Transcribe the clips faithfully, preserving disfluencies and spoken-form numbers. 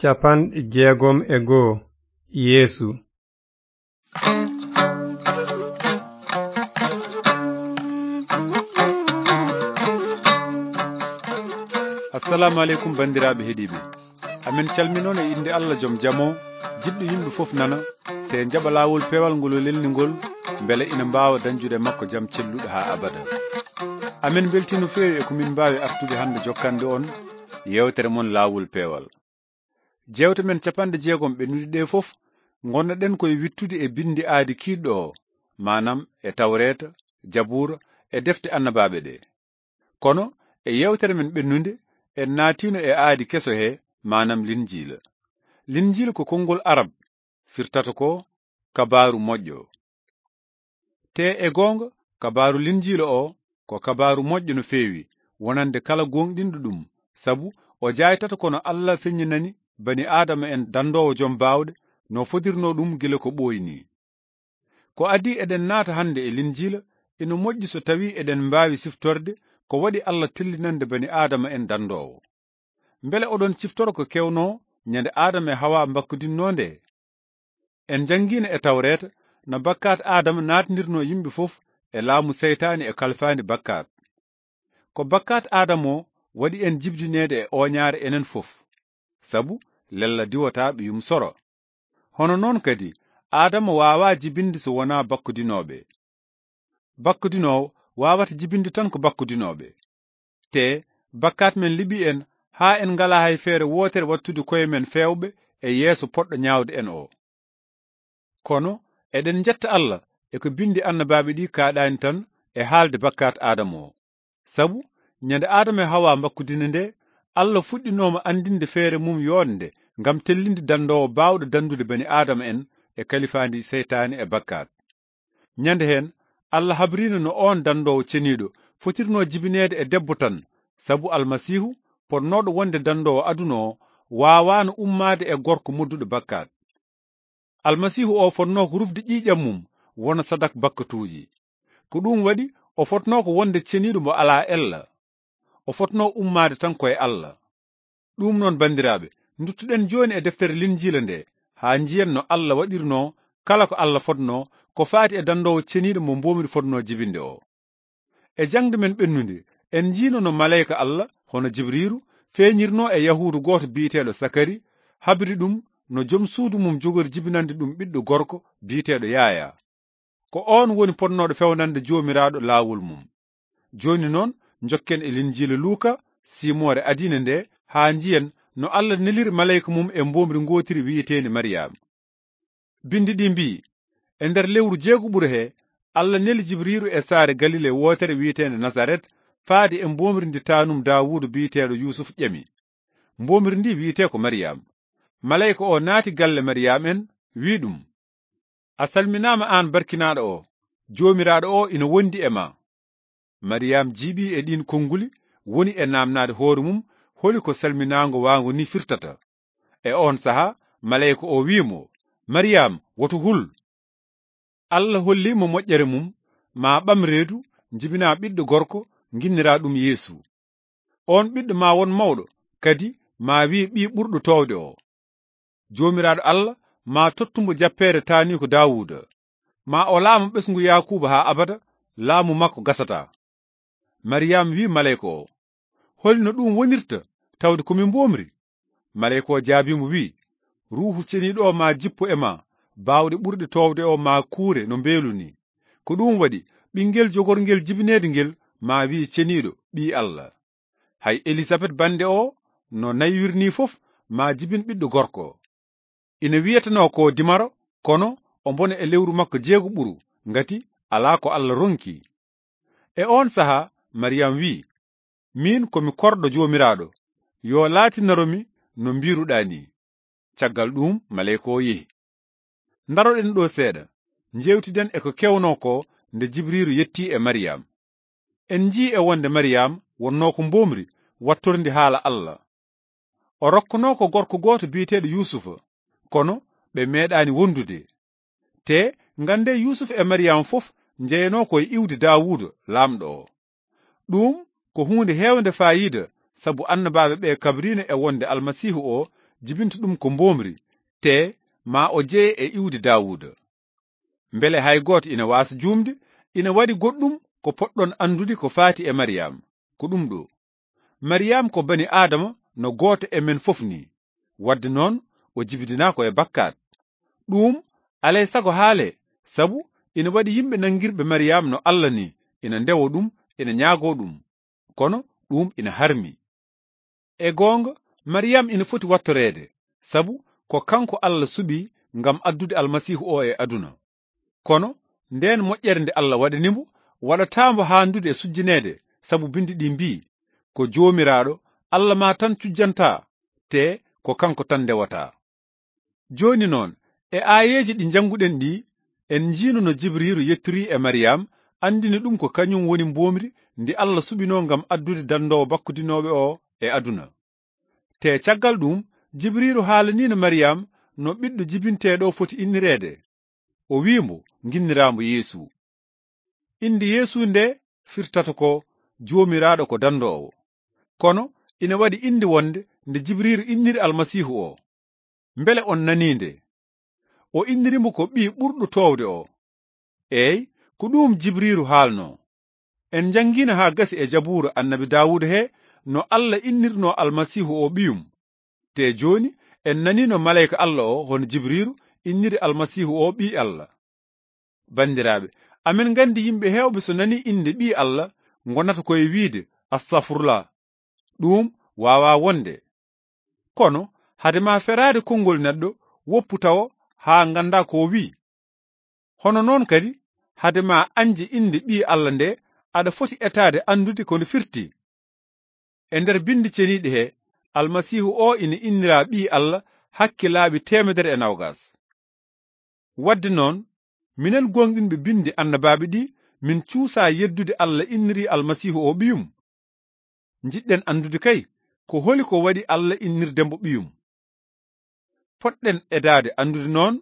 Capanɗe jeegom e goo. Yeesu. Assalamu aleykum, banndiraaɓe heɗiiɓe. Amen calminoon e innde Allah joom jam o, jiɗɗo yimɓe fof nana, te jaɓa laawol peewal ngol o lelni ngol, mbele ina mbaawa dañjude e makko jam celluɗo haa abada. Amen mbeltii no feewi e ko min mbaawi artude hannde jokkande on yeewtere mon laawol peewal. Jeewte men capanɗe jeegom ɓennuɗe ɗe fof, ngonnoɗen koye wittude e binndi aadi kiiɗɗo o, maanaam e Tawreeta, Jabuura, e defte annabaaɓe ɗe. Kono e yeewtere men ɓennunde, en naatiino e aadi keso he, maanaam Linjiila. Linjiila ko konngol Arab, firtata ko kabaaru moƴƴo. Te e goonga, kabaaru Linjiila o ko kabaaru moƴƴo no feewi, wonande kala gooŋɗinɗo ɗum, sabu o jaaytata ko no Allah feññinani bani Aadama en dandoowo joom baawɗe, no fodirnoo ɗum gila ko ɓooyi ni. Ko adii eɗen naata hannde e Linjiila, ina moƴƴi so tawii eɗen mbaawi siftorde ko waɗi Allah tellinande bani Aadama en dandoowo. Mbele oɗon ciftoro ko kewnoo ñande Aadama e Hawa mbakkudinnoo nde? En njanngiino e Tawreeta no bakkaat Aadama naatndirnoo yimɓe fof e laamu seytaane e kalfaandi bakkaat. Ko bakkaat Aadama o waɗi en jibdineede e ooñaare enen fof, sabu lella diwataa ɓiyum soro. Hono noon kadi, Aadama waawaa jibinde so wonaa bakkudinooɓe. Bakkudinoowo waawata jibinde tan ko bakkudinooɓe. Te bakkaat men liɓi en haa en ngalaa hay feere wootere wattude koye men feewɓe e yeeso poɗɗo ñaawde en o. Kono eɗen njetta Allah e ko binndi annabaaɓe ɗi kaaɗaani tan e haalde bakkaat Aadama o. Sabu ñande Aadama e Hawa mbakkudina nde, Allah fuɗɗinooma anndinde feere mum yooɗnde ngam tellinde dandoowo baawɗo danndude bani Aadama en e kalifaandi seytaane e bakkaat. Ñande heen, Allah habriino no oon dandoowo ceniiɗo fotirnoo jibineede e debbo tan, sabu Almasiihu, potnooɗo wonde dandoowo aduna o, waawaano ummaade e gorko modduɗo bakkaat. Almasiihu o fotnoo ko rufde ƴiiƴam mum wona sadak bakkatuuji. Ko ɗum waɗi o fotnoo ko wonde ceniiɗo mo alaa ella. O fotnoo ummaade tan ko e Allah. Ɗum noon, banndiraaɓe, nduttuɗen jooni e deftere Linjiila nde, haa njiyen no Allah waɗirnoo kala ko Allah fotnoo ko faati e dandoowo ceniiɗo mo mboomri fotnoo jibinde o. E jaŋde men ɓennunde, en njiino no maleyka Allah, hono Jibriiru, feeñirnoo e Yahuudu gooto biyeteeɗo Sakari, habri ɗum no jom suudu mum jogori jibinande ɗum ɓiɗɗo gorko biyeteeɗo Yaayaa. Ko oon woni potnooɗo fewnande Joomiraaɗo laawol mum. Jooni noon, njokken e Linjiila Luuka, siimoore adiinde nde, haa njiyen no Allah neliri maleyka mum e mboomri ngootiri wiyeteendi Mariyaama. Binndi ɗi mbiyi, e nder lewru jeegoɓuru he, Allah neli Jibriiru e saare Galile wootere wiyeteende Nasaret, faade e mboomri ndi taanum Daawuuda biyeteeɗo Yuusuf ƴami. Mboomri ndi wiyetee ko Mariyaama. Maleyka o naati galle Mariyaama en, wiyi ɗum, "A salminaama aan barkinaaɗo o, Joomiraaɗo o ina wondi e ma." Mariyaama jiiɓii e ɗiin konnguli, woni e naamnaade hoore mum holi ko salminaango waango ni firtata. E oon sahaa, maleyka o wiyi mo, "Mariyaama, woto hul. Allah hollii mo moƴƴere mum, ma ɓam reedu, jibinaa ɓiɗɗo gorko, nginniraa ɗum Yeesu. Oon ɓiɗɗo ma won mawɗo, kadi ma wiye ɓii ɓurɗo toowde o. Joomiraaɗo Allah ma tottu mo jappeere taaniiko Daawuuda. Ma o laamo ɓesngu Yaakuuba haa abada, laamu makko gasataa." Mariyaama wiyi maleyka o, "Holi no ɗum wonirta, tawde ko mi mboomri?" Maleyka o jaabii mo, wiyi, "Ruuhu Ceniiɗo o ma jippo e ma, baawɗe ɓurɗe toowde o ma kuure no mbeelu ni. Ko ɗum waɗi, ɓinngel jogorngel jibineede ngel ma wiye Ceniiɗo, Ɓii Allah. Hay Elisabet bannde o no naywiri ni fof, ma jibin ɓiɗɗo gorko. Ina wiyetenoo ko dimaro, kono omo wona e lewru makko jeegoɓuru, ngati alaa ko Allah ronki." E oon sahaa, Mariyam wiyi, "Miin ko mi korɗo Joomiraaɗo, yo laatinoro mi no mbiiruɗaa ni." Caggal ɗuum, maleyka o yehi. Ndaroɗen ɗo seeɗa, njeewtiden e ko kewnoo ko nde Jibriiru yettii e Mariyam. En njii e wonde Mariyam wonnoo ko mboomri wattorndi haala Allah. O rokkonoo ko gorko gooto biyeteeɗo Yuusufa, kono ɓe meeɗaani wondude. Te ngannde Yuusuf e Mariyam fof njeyanoo ko e iwdi Daawuuda, laamɗo o. Ɗum ko huunde heewnde faayiida, sabu annabaaɓe ɓe kabriino e wonde Almasiihu o jibinta ɗum ko mboomri, te ma o jeye e iwdi Daawuda. Mbele hay gooto ina waasa juumde, ina waɗi goɗɗum ko poɗɗon anndude ko faati e Mariyam. Ko ɗum ɗo. Mariyam ko bani Aadama no gooto e men fof ni. Wadde noon, o jibidinaa ko e bakkaat. Ɗum alay sago haale, sabu ina waɗi yimɓe nanngirɓe Mariyam no Alla ni, ina ndewo ɗum, ina ñaago ɗum. Kono ɗum ina harmi. E goonga, Mariyam ina foti wattoreede, sabu ko kanko Alla suɓi ngam addude Almasiihu o e aduna. Kono ndeen moƴƴere nde Alla waɗani mo, waɗataa mbo haandude e sujjineede, sabu binndi ɗi mbii, "Ko Joomiraaɗo, Alla ma tan cujjantaa, te ko kanko tan ndewataa." Jooni noon, e aayeeji ɗi njannguɗen ɗi, en njiino no Jibriiru yettorii e Mariyam, anndini ɗum ko kañum woni mboomri ndi Alla suɓinoo ngam addude danndoowo bakkudinooɓe o e aduna. Te caggal ɗum, Jibriiru haalaniino Mariyam no ɓiɗɗo jibinteeɗo foti innireede. O wi'i mbo, "Nginniraambo Yeesu." Innde Yeesu nde firtata ko Joomiraaɗo ko danndoowo. Kono ina waɗi innde wonde nde Jibriiru inniri Almasiihu o. Mbele on nanii nde? O inniri mo ko ɓii ɓurɗo toowde o. Eey, ko ɗum Jibriiru haalnoo. En njanngiino haa gasi e Jabuura Annabi Daawuda he no Alla innirnoo Almasiihu o ɓiyum. Te jooni en nanii no maleyka Alla o hono Jibriiru inniri Almasiihu o ɓii Alla. Banndiraaɓe, amen nganndi yimɓe heewɓe so nanii innde ɓii Alla ngonata ko e wiide, "Astafurla." Ɗum waawaa wonde. Kono hade ma feraade konngol neɗɗo, woppu tawo haa ngannda ko o wi'i. Hono noon kadi, hade ma añde innde ɓii Alla nde, aɗa foti etaade anndude ko nde firti. E nder binndi ceniiɗi he, Almasiihu o ina innira ɓii Alla hakke laabi teemedere e noogas. Wadde noon, minen gooŋɗinɓe binndi annabaaɓe ɗi, min cuusaa yeddude Alla inniri Almasiihu o ɓiyum. Njiɗɗen anndude kay, ko holi ko waɗi Alla innirde mbo ɓiyum. Potɗen etaade anndude noon,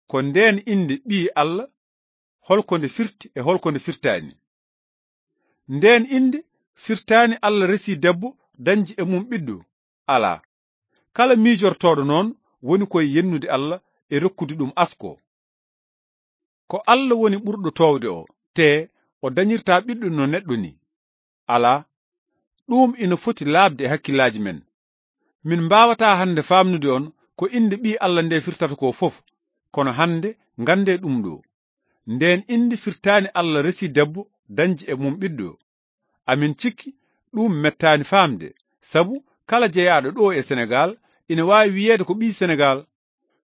ko ndeen innde ɓii Alla, holko nde firti e holko nde firtaani. Ndeen innde firtaani Alla resii debbo dañji e mum ɓiɗɗo. Alaa. Kala miijortooɗo noon woni koye yennude Alla e rokkude ɗum asko. Ko Alla woni ɓurɗo toowde o, te o dañirtaa ɓiɗɗo no neɗɗo ni. Alaa, ɗum ina foti laaɓde e hakkillaaji men. Min mbaawataa hannde faamnude on ko innde ɓii Alla nde firtata ko fof, kono hannde nganndee ɗum ɗo. Ndeen innde firtaani Alla resii debbo dañji e mum ɓiɗɗo. Amin cikki ɗum mettaani faamde, sabu kala jeyaaɗo ɗo e Senegaal ina waawi wiyeede ko ɓii Senegaal.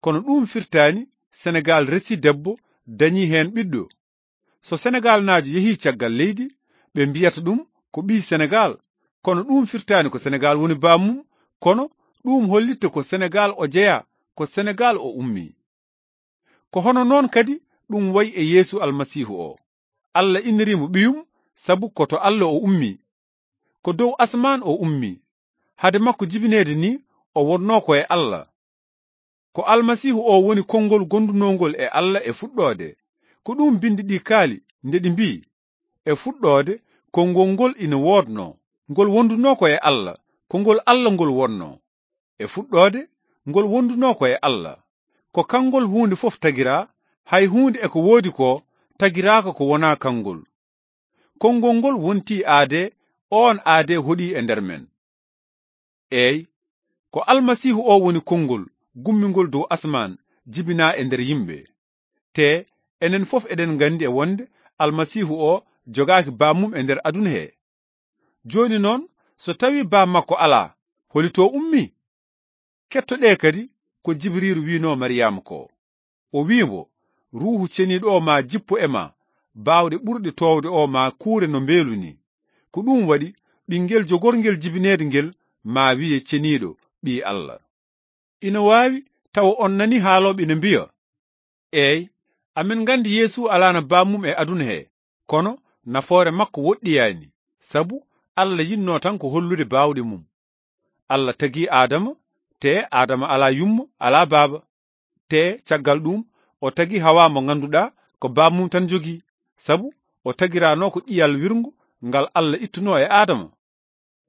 Kono ɗum firtaani Senegaal resii debbo dañii heen ɓiɗɗo. So Senegaalnaajo yehii caggal leydi, ɓe mbiyata ɗum ko ɓii Senegaal. Kono ɗum firtaani ko Senegaal woni bammum, kono ɗum hollitta ko Senegaal o jeyaa, ko Senegaal o ummii. Ko hono noon kadi ɗum wayi e Yeesu Almasiihu o. Alla inniri mo ɓiyum, sabu ko to Alla o ummii. Ko dow asamaan o ummii. Hade makko jibineede ni, o wonnoo ko e Alla. Ko Almasiihu o woni konngol gondunoongol e Alla e fuɗɗoode. Ko ɗum binndi ɗi kaali, nde ɗi mbii, "E fuɗɗoode, konngol ngol ina woodnoo, ngol wondunoo ko e Alla, ko ngol Alla ngol wonnoo." E fuɗɗoode, ngol wondunoo ko e Alla. Ko kanngol huunde fof tagiraa, hay huunde e ko woodi ko, tagiraaka ko wonaa kanngol. Konngol ngol wontii aadee, oon aadee hoɗii e nder men. Eey, ko Almasiihu o woni konngol gummingol dow asamaan, jibinaa e nder yimɓe. Te enen fof eɗen nganndi e wonde Almasiihu o jogaaki bammum e nder aduna he. Jooni noon, so tawii baa makko alaa, holi to ummii? Kettoɗee kadi ko Jibriiru wi'noo Mariyama ko. O wi'i mbo, "Ruuhu Ceniiɗo o maa jippo e maa, baawɗe ɓurɗe toowde o maa kuure no mbeelu ni. Ko ɗum waɗi, ɓinngel jogorngel jibineede ngel maa wiye Ceniiɗo, Ɓii Alla." Ina waawi tawa on nanii haalooɓe ina mbiya, "Eey, amin nganndi Yeesu alaano bammum e aduna he, kono nafoore makko woɗɗiyaani, sabu Alla yinnoo tan ko hollude baawɗe mum. Alla tagii Aadama, te Aadama alaa yumma, alaa baaba. Te caggal ɗum, o tagi Hawaa mo ngannduɗaa ko bammum tan jogii, sabu o tagiraanoo ko ƴiyal wirngo ngal Alla ittunoo e Aadama."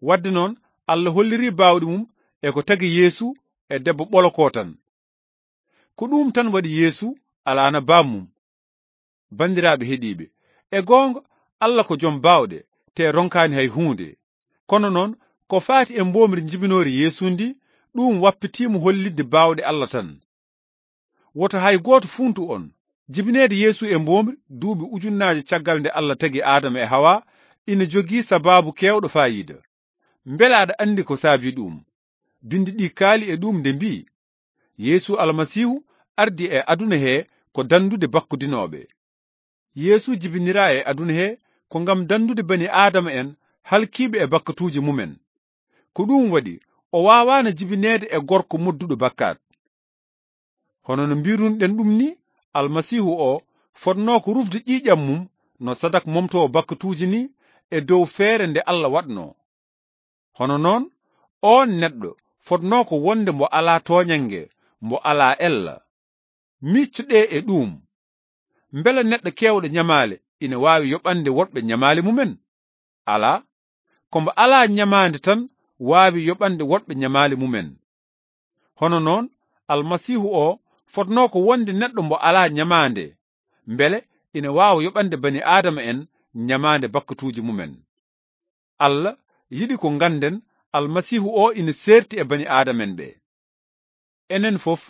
Wadde noon, Alla hollirii baawɗe mum e ko tagi Yeesu e debbo ɓolo ko tan. Ko ɗum tan waɗi Yeesu alaana bammum. Banndiraaɓe heɗiiɓe, e goonga, Allah ko jom baawɗe, te ronkaani hay huunde. Kono noon, ko faati e mboomri jibinoori Yeesu ndi, ɗum wappitiimo hollitde baawɗe Allah tan. Woto hay gooto fuuntu on, jibineede Yeesu e mboomri duuɓi ujunnaaje caggal nde Allah tagi Aadama e Hawa ina jogii sabaabu keewɗo faayiida. Mbele aɗa anndi ko saabii ɗum? Binndi ɗi kaali e ɗum nde mbii, Yeesu Almasiihu ardi e aduna he ko danndude bakkudinooɓe. Yeesu jibiniraa e aduna he ko ngam danndude bani Aadama en halkiiɓe e bakkatuuji mumen. Ko ɗum waɗi o waawaano jibineede e gorko modduɗo bakkaat. Hono no mbiirunoɗen ɗum ni, Almasiihu o fotnoo ko rufde ƴiiƴam mum no sadak momtoowo bakkatuuji ni e dow feere nde Allah waɗnoo. Hono noon, oon neɗɗo fotnoo ko wonde mbo alaa tooñannge, mbo alaa ella. Miiccoɗee e ɗuum. Mbele neɗɗo keewɗo ñamaale ina waawi yoɓande woɗɓe ñamaale mumen? Alaa. Ko mbo alaa ñamaande tan waawi yoɓande woɗɓe ñamaale mumen. Hono noon, Almasiihu o fotnoo ko wonde neɗɗo mbo alaa ñamaande. Mbele ina waawa yoɓande bani Aadama en ñamaande bakkatuuji mumen. Allah yiɗi ko ngannden Almasiihu o ina seerti e bani Aadama en ɓe. Enen fof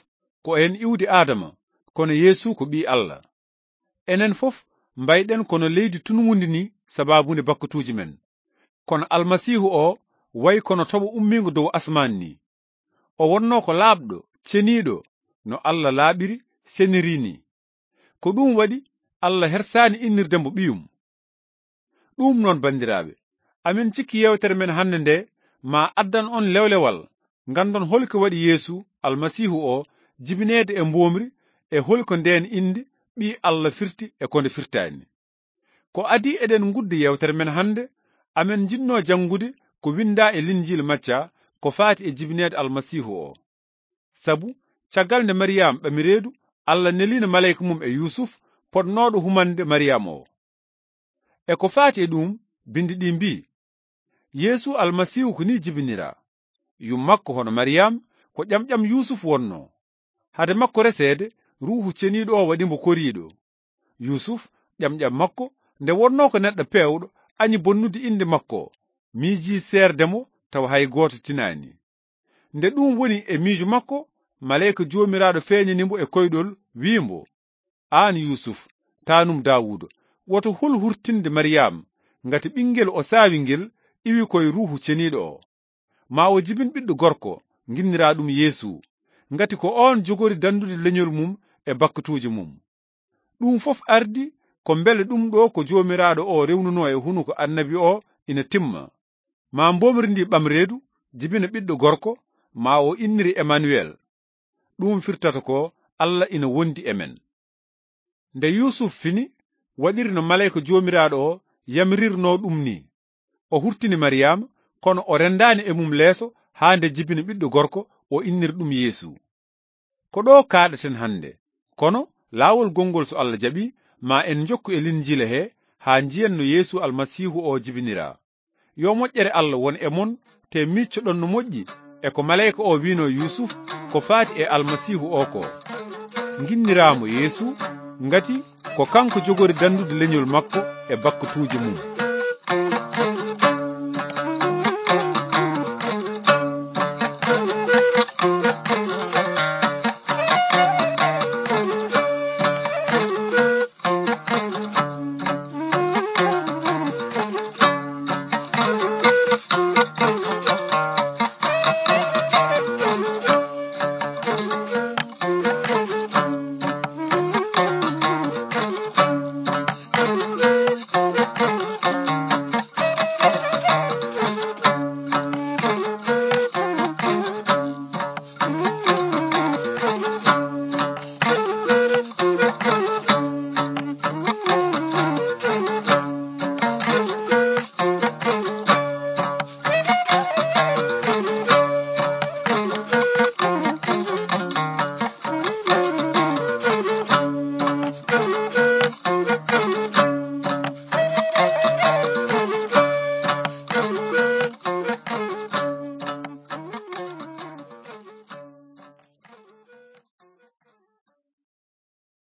ko en iwdi Aadama, kono Yeesu ko ɓii Allah. Enen fof mbayɗen kono leydi tunngundi ni sabaabunde bakkatuuji men. Kono Almasiihu o wayi kono toɓo ummiingo dow asmaan ni. O wonnoo ko laaɓɗo, ceniiɗo, no Allah laaɓiri, seniri ni. Ko ɗum waɗi Allah hersaani innirde mbo ɓiyum. Ɗum noon, banndiraaɓe, amin cikki yeewtere men hannde nde ma addan on lewlewal, nganndon hol ko waɗi Yeesu Almasiihu o jibineede e mboomri e hol ko ndeen innde ɓii Allah firti e ko nde firtaani. Ko adii eɗen ngudda yeewtere men hannde, amen njiɗnoo janngude ko winndaa e Linjiila Macca ko faati e jibineede Almasiihu o. Sabu, caggal nde Mariyam ɓami reedu, Allah neliino maleyka mum e Yuusuf, potnooɗo humande Mariyam o. E ko faati e ɗum, binndi ɗi mbii, Yeesu Almasiihu ko nii jibiniraa. Yum makko hono Mariyam, ko ƴamƴam Yuusuf wonnoo. Hade makko reseede, Ruuhu Ceniiɗo o waɗi mbo koriiɗo. Yuusuf, ƴamƴam makko, nde wonnoo ko neɗɗo peewɗo, añi bonnude innde makko, miijii seerde mo tawa hay gooto tinaani. Nde ɗum woni e miijo makko, maleyka Joomiraaɗo feeñani mbo e koyɗol, wii mbo, aan Yuusuf, taanum Daawuuda, woto hul hurtinde Mariyam, ngati ɓinngel o saawi ngel iwi ko e Ruuhu Ceniiɗo o. Ma o jibin ɓiɗɗo gorko, nginniraa ɗum Yeesu, ngati ko oon jogori danndude leñol mum e bakkatuuji mum. Ɗum fof ardi ko mbele ɗum ɗo ko Joomiraaɗo o rewnunoo e hunuko annabi o ina timma. Ma mboomri ndi ɓam reedu, jibina ɓiɗɗo gorko, ma o inniri Emanuwel. Ɗum firtata ko Allah ina wondi e men. Nde Yuusuf fini, waɗiri no maleyka Joomiraaɗo o yamirirnoo ɗum ni. O hurtini Mariyama, kono o renndaani e mum leeso haa nde jibina ɓiɗɗo gorko, o inniri ɗum Yeesu. Ko ɗo kaaɗaten hannde, kono laawol gonngol so Allah jaɓi, ma en njokku e Linjiila he haa njiyen no Yeesu Almasiihu o jibiniraa. Yo moƴƴere Allah won e mon, te miiccoɗon no moƴƴi e ko maleyka o wiinoo Yuusuf ko faati e Almasiihu o ko. Nginniraamo Yeesu, ngati ko kanko jogori danndude leñol makko e bakkatuuji mum.